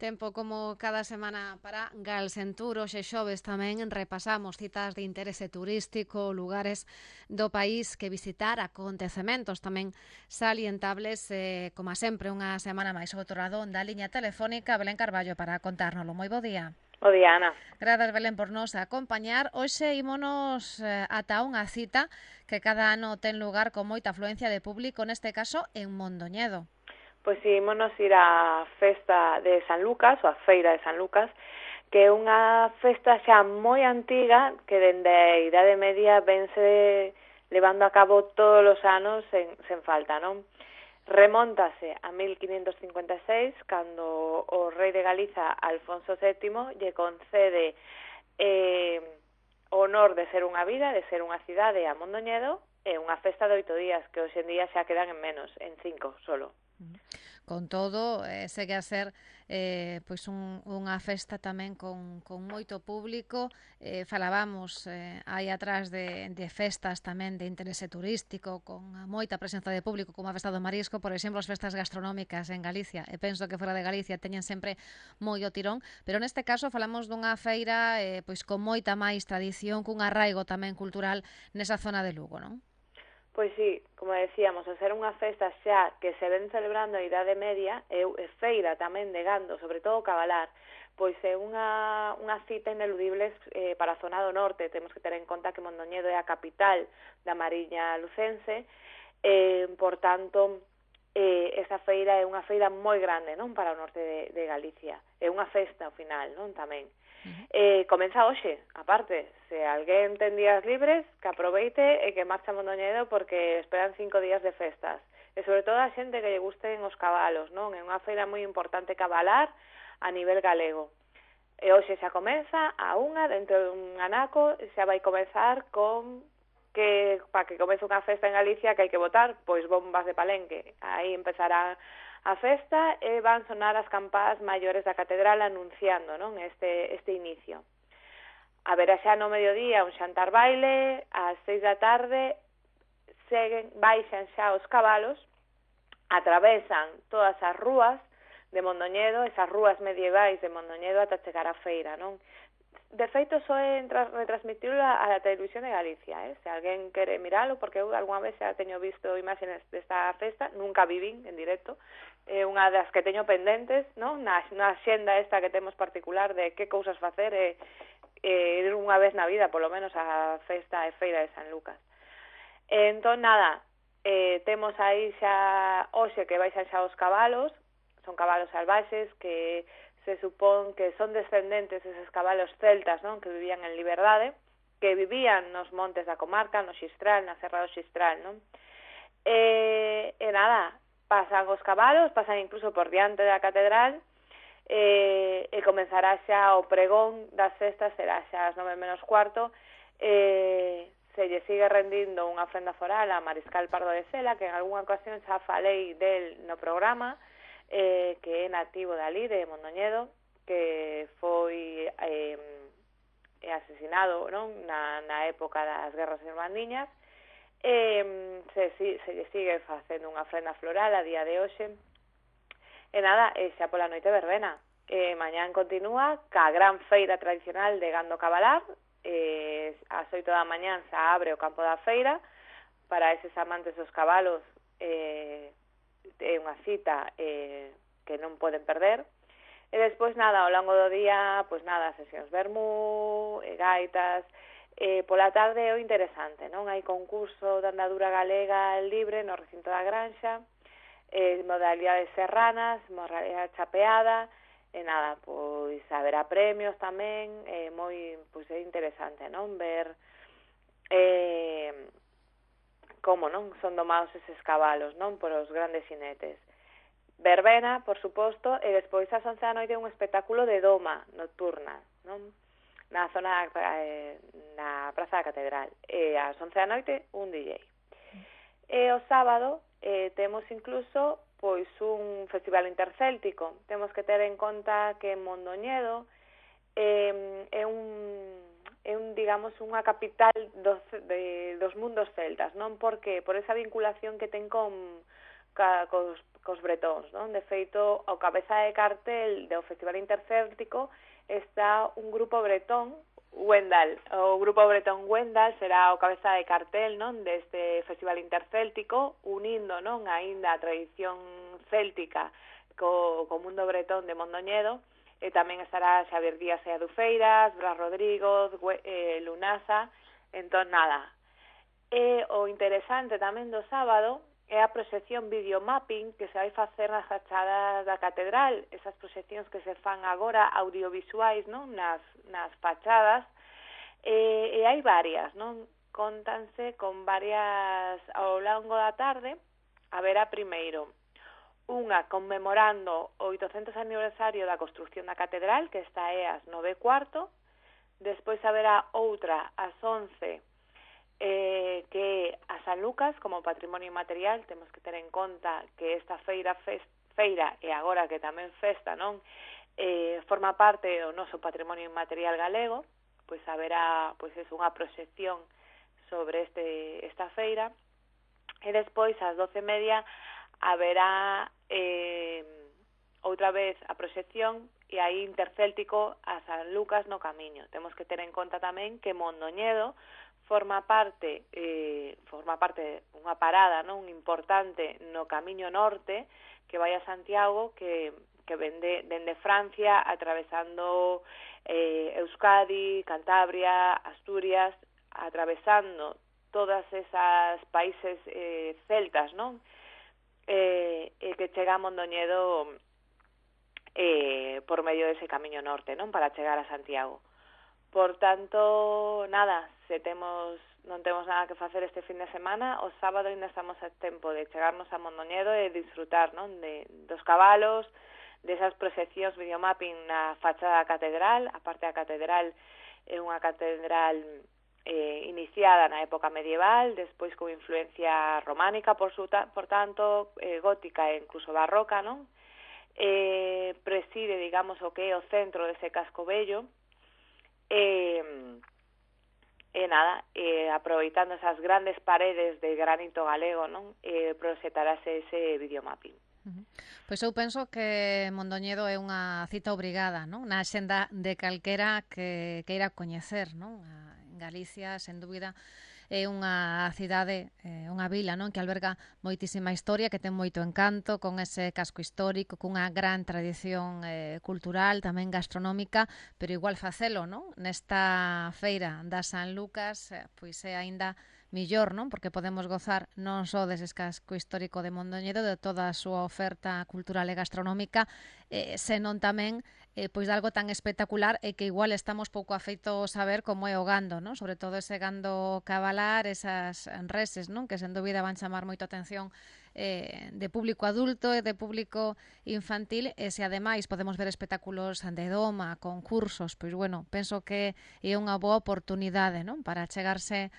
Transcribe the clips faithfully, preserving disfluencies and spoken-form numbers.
Tempo como cada semana para Galsentur, hoxe xoves tamén repasamos citas de interese turístico, lugares do país que visitar, acontecementos tamén salientables, eh, como sempre, unha semana máis outro lado da liña telefónica, Belén Carballo, para contárnoslo. Moi bo día. Bo día, Ana. Grazas, Belén, por nos acompañar. Hoxe ímonos eh, ata unha cita que cada ano ten lugar con moita afluencia de público, neste caso en Mondoñedo. Pois si, ímonos ir á festa de San Lucas, ou a feira de San Lucas, que é unha festa xa moi antiga, que dende a Idade Media vense levando a cabo todos os anos sen, sen falta, non? Remóntase a mil quinientos cincuenta e seis, cando o rei de Galiza, Alfonso sétimo, lle concede eh, o honor de ser unha vila, de ser unha cidade a Mondoñedo, e unha festa de oito días, que hoxe en día xa quedan en menos, en cinco solo. Con todo, eh, segue a ser eh, pois un, unha festa tamén con, con moito público. Eh, falábamos eh, aí atrás de, de festas tamén de interese turístico, con moita presenza de público, como a festa do Marisco, por exemplo, as festas gastronómicas en Galicia. E penso que fora de Galicia teñen sempre moi o tirón, pero neste caso falamos dunha feira eh, pois con moita máis tradición, cun arraigo tamén cultural nesa zona de Lugo, non? Pois sí, como decíamos, a ser unha festa xa que se ven celebrando a Idade Media, e feira tamén de gando, sobre todo cabalar, pois é unha, unha cita ineludible eh, para a zona do norte. Temos que ter en conta que Mondoñedo é a capital da Mariña lucense, eh, por tanto, eh, esa feira é unha feira moi grande, non, para o norte de, de Galicia. É unha festa ao final, non, tamén. Uh-huh. Eh, comeza hoxe, aparte, se alguén ten días libres, que aproveite e que marcha a Mondoñedo, porque esperan cinco días de festas. E sobre todo a xente que lle gusten os cabalos, non? É unha feira moi importante cabalar a nivel galego. E hoxe xa comeza a unha, dentro dun anaco, xa vai comezar con que, para que comece unha festa en Galicia, que hai que botar, pois bombas de Palenque. Aí empezará a festa e van sonar as campás maiores da catedral anunciando, non, este, este inicio. Haberá xa no mediodía un xantar baile, ás seis da tarde seguen, baixan xa os cabalos, atravesan todas as rúas de Mondoñedo, esas rúas medievais de Mondoñedo ata chegar á feira, non? De feito, só é retransmitirlo a la televisión de Galicia, eh? Se alguén quere miralo, porque eu algunha vez xa teño visto imágenes desta festa, nunca vivín en directo, é unha das que teño pendentes, non? Na, na xenda esta que temos particular de que cousas facer e, e ir unha vez na vida, polo menos, a festa e feira de San Lucas. E, entón, nada, eh, temos aí xa hoxe que baixan xa os cabalos, son cabalos salvaxes que se supón que son descendentes deses cabalos celtas, non, que vivían en liberdade, que vivían nos montes da comarca, no Xistral, na Serra do Xistral, non? E, e nada, pasan os cabalos, pasan incluso por diante da catedral, e, e comenzará xa o pregón das festas, será xa as nove menos cuarto, e se lle sigue rendindo unha ofrenda foral a Mariscal Pardo de Cela, que en algunha ocasión xa falei del no programa, Eh, que é nativo dali, de Mondoñedo, que foi eh, asesinado, non, na, na época das guerras irmandiñas, e se, se lle sigue facendo unha ofrenda floral a día de hoxe. E nada, e xa pola noite verbena. E mañán continúa ca gran feira tradicional de gando cabalar, e ás oito da mañán xa abre o campo da feira para eses amantes dos cabalos. eh, é unha cita eh, que non poden perder. E despois, nada, ao longo do día, pois nada, sesións vermú, e gaitas, e pola tarde é o interesante, non? Hai concurso de andadura galega libre no recinto da Granxa, e modalidades serranas, modalidade chapeada, e nada, pois haberá premios tamén, e moi, pois é interesante, non? Ver eh, como, non, son domados eses cabalos, non, por os grandes xinetes. Verbena, por suposto, e despois ás once da noite un espectáculo de doma nocturna, non, na zona eh, na Praza da Catedral. E ás once da noite un D J. E o sábado eh, temos incluso pois un festival intercéltico. Temos que ter en conta que Mondoñedo eh, é un é un, digamos, unha capital dos, de, dos mundos celtas, non? Porque por esa vinculación que ten con, ca, cos, cos bretóns, non? De feito, ao cabeza de cartel do Festival Intercéltico está un grupo bretón, Wendal. O grupo bretón Wendal será o cabeza de cartel, non, deste Festival Intercéltico, unindo, non, aínda a tradición céltica co, co mundo bretón de Mondoñedo, e tamén estará Xavier Díaz e Adufeiras, Blas Rodrigo, eh, Lunasa. Entón, nada. E o interesante tamén do sábado é a proxección videomapping que se vai facer nas fachadas da catedral, esas proxeccións que se fan agora audiovisuais, non, nas, nas fachadas, e, e hai varias, non, contanse con varias ao longo da tarde. Haberá primeiro unha conmemorando o oitocentos aniversario da construción da catedral, que esta é ás nove e cuarto, despois haberá outra ás once, Eh, que a San Lucas como patrimonio inmaterial. Temos que ter en conta que esta feira fest, feira e agora que tamén festa, non, eh, forma parte do noso patrimonio inmaterial galego. Pois haberá, pois é unha proxección sobre este esta feira, e despois ás doce e media haberá eh, outra vez a proxección e aí Intercéltico a San Lucas no Camiño. Temos que ter en conta tamén que Mondoñedo forma parte eh, forma parte unha parada, non, importante no Camiño Norte que vai a Santiago, que, que vende dende Francia, atravesando eh, Euskadi, Cantabria, Asturias, atravesando todas esas países eh, celtas, non? Eh, e que chega a Mondoñedo eh, por medio dese Camiño Norte, non, para chegar a Santiago. Por tanto, nada, se temos non temos nada que facer este fin de semana, o sábado ainda estamos a tempo de chegarnos a Mondoñedo e disfrutar, non, de, dos cabalos, desas proxeccións videomapping na fachada da catedral. A parte da catedral é unha catedral eh, iniciada na época medieval, despois con influencia románica, por, su ta, por tanto, eh, gótica e incluso barroca, non? Eh, preside, digamos, o que é o centro dese casco bello. E, e nada, e aproveitando esas grandes paredes de granito galego, non, e proxetarase ese videomapping. Uh-huh. Pois eu penso que Mondoñedo é unha cita obrigada, non, na axenda de calquera que queira coñecer, non, en Galicia, sen dúbida. É unha cidade, eh, unha vila, non, que alberga moitísima historia, que ten moito encanto, con ese casco histórico, cunha gran tradición eh, cultural, tamén gastronómica, pero igual facelo, non, nesta feira da San Lucas, eh, pois é aínda millor, non, porque podemos gozar non só dese casco histórico de Mondoñedo, de toda a súa oferta cultural e gastronómica, eh, senón tamén eh, pois de algo tan espectacular e que igual estamos pouco afeitos a ver como é o gando, non? Sobre todo ese gando cabalar, esas reses, non? Que sen dúbida van chamar moito a atención eh, de público adulto e de público infantil, e se ademais podemos ver espectáculos de doma, concursos, pois bueno, penso que é unha boa oportunidade, non? Para chegarse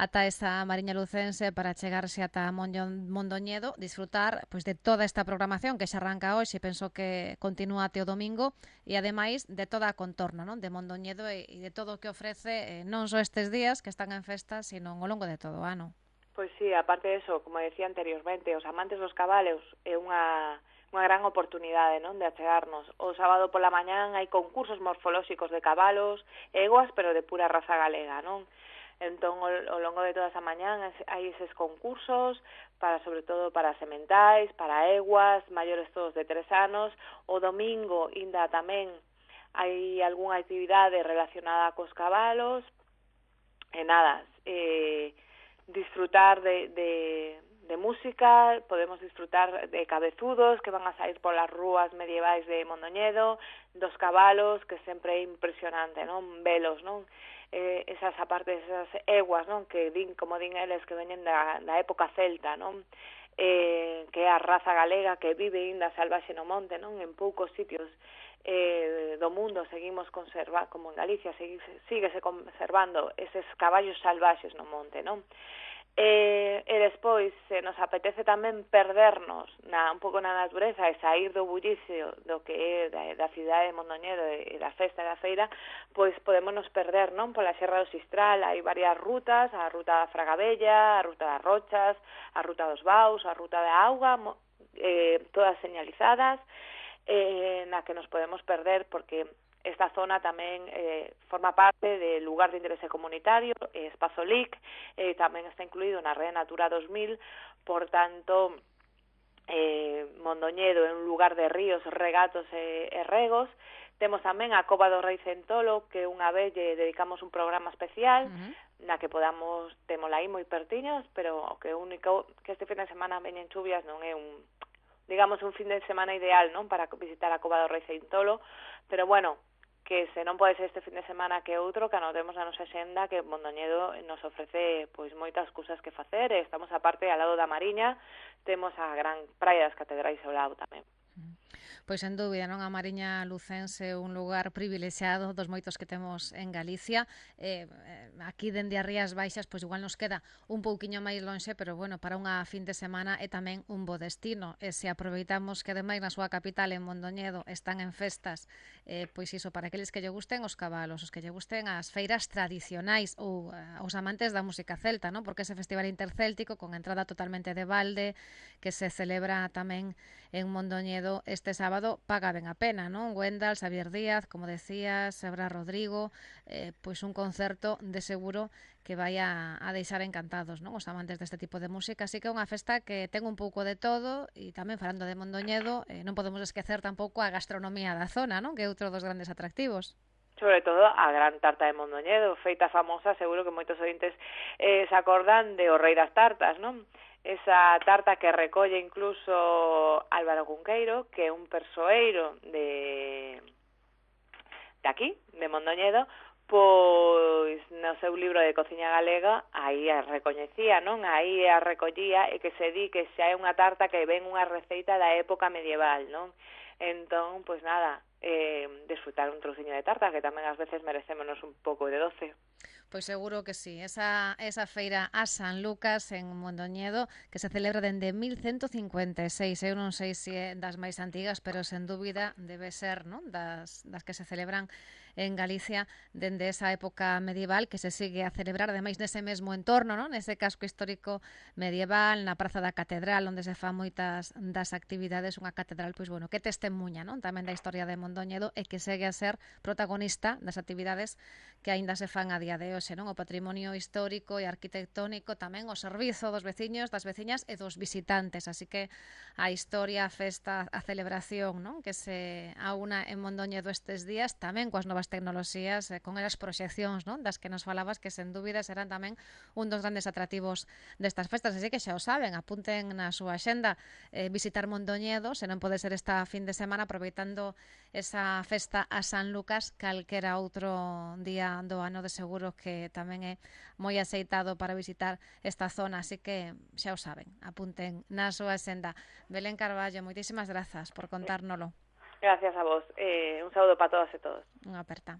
ata esa Mariña Lucense, para chegarse ata Mondoñedo, disfrutar pois de toda esta programación que xa arranca hoxe, penso que continúa até o domingo, e ademais de toda a contorna, non, de Mondoñedo e, e de todo o que ofrece, eh, non só estes días que están en festa, sino ao longo de todo o ano. Pois sí, aparte de eso, como decía anteriormente, os amantes dos cabalos é unha unha gran oportunidade, non, de achegarnos. O sábado pola mañán hai concursos morfolóxicos de cabalos, eguas, pero de pura raza galega, non? Entón, ao longo de toda esa mañán hai eses concursos, para sobre todo para sementais, para eguas, maiores todos de tres anos. O domingo, ainda tamén, hai algunha actividade relacionada cos cabalos. E nada, eh, disfrutar de, de, de música, podemos disfrutar de cabezudos que van a sair polas rúas medievais de Mondoñedo, dos cabalos, que sempre é impresionante, non? Velos, non? Eh, esas aparte esas eguas, non, que din, como din eles, que veñen da, da época celta, non, eh, que é a raza galega que vive ainda salvaxe no monte, non, en poucos sitios eh, do mundo seguimos conserva, como en Galicia, sigue, síguese conservando eses caballos salvaxes no monte, non. E, e despois, se nos apetece tamén perdernos na, un pouco na natureza e sair do bullicio do que é da, da cidade de Mondoñedo e da festa da feira, pois podemos nos perder, non, pola Serra do Sistral. Hai varias rutas, a ruta da Fragabella, a ruta das Rochas, a ruta dos Baus, a ruta da Auga, eh, todas señalizadas, eh, na que nos podemos perder porque esta zona tamén eh, forma parte del lugar de interese comunitario, eh, Espazo L I C, eh, tamén está incluído na Red Natura dos mil, por tanto, eh, Mondoñedo é un lugar de ríos, regatos e, e regos. Temos tamén a Cova do Rei Centolo, que unha vez lle dedicamos un programa especial, uh-huh. na que podamos, temola aí moi pertiños, pero o que único que este fin de semana veñen chuvias non é un, digamos, un fin de semana ideal, non, para visitar a Cova do Rei Centolo, pero bueno, que se non pode ser este fin de semana que outro, que anotemos a nosa xenda que Mondoñedo nos ofrece pois moitas cousas que facer, e estamos aparte ao lado da Mariña, temos a gran praia das Catedrais ao lado tamén. Pois sen dúbida, non, a Mariña Lucense un lugar privilexiado dos moitos que temos en Galicia. Eh, aquí dende as Rías Baixas, pois igual nos queda un pouquiño máis lonxe, pero bueno, para unha fin de semana é tamén un bo destino. E se aproveitamos que ademais na súa capital, en Mondoñedo, están en festas, eh, pois iso, para aqueles que lle gusten os cabalos, os que lle gusten as feiras tradicionais ou uh, os amantes da música celta, non? Porque ese festival intercéltico con entrada totalmente de balde, que se celebra tamén en Mondoñedo este sábado, paga ben a pena, non? Wendal, Xavier Díaz, como decías, Sebra Rodrigo, eh, pois un concerto de seguro que vai a, a deixar encantados, non, os amantes deste tipo de música. Así que é unha festa que ten un pouco de todo, e tamén falando de Mondoñedo, eh, non podemos esquecer tampouco a gastronomía da zona, non, que é outro dos grandes atractivos. Sobre todo a gran tarta de Mondoñedo, feita famosa, seguro que moitos ointes eh, se acordan de O Rei das Tartas, non? Esa tarta que recolle incluso Álvaro Cunqueiro, que é un persoeiro de, de aquí, de Mondoñedo, pois no seu libro de cociña galega aí a recoñecía, non? Aí a recollía, e que se di que xa é unha tarta que ven unha receita da época medieval, non? Entón, pois nada, eh, desfrutar un trociño de tarta, que tamén ás veces merecémonos un pouco de doce. Pois seguro que sí, esa, esa feira a San Lucas en Mondoñedo, que se celebra dende mil cento cincuenta e seis, eu non sei se é das máis antigas, pero sen dúbida debe ser, non, das, das que se celebran en Galicia dende esa época medieval, que se sigue a celebrar ademais nese mesmo entorno, non, nese casco histórico medieval, na Praza da Catedral, onde se fan moitas das actividades, unha catedral, pois bueno, que testemunha, non, tamén da historia de Mondoñedo, e que segue a ser protagonista das actividades que aínda se fan a día de hoxe, non? O patrimonio histórico e arquitectónico, tamén o servizo dos veciños, das veciñas e dos visitantes, así que a historia, a festa, a celebración, non? Que se aúna en Mondoñedo estes días, tamén coas novas tecnoloxías, con as proxeccións, non? Das que nos falabas, que sen dúbida serán tamén un dos grandes atractivos destas festas, así que xa o saben, apunten na súa axenda eh, visitar Mondoñedo, se non pode ser esta fin de semana, aproveitando esa festa a San Lucas, calquera outro día do ano, de seguro que tamén é moi aceitado para visitar esta zona, así que xa o saben, apunten na súa senda. Belén Carballo, moitísimas grazas por contárnolo. Gracias a vos, eh, un saúdo para todas e todos. Unha aperta.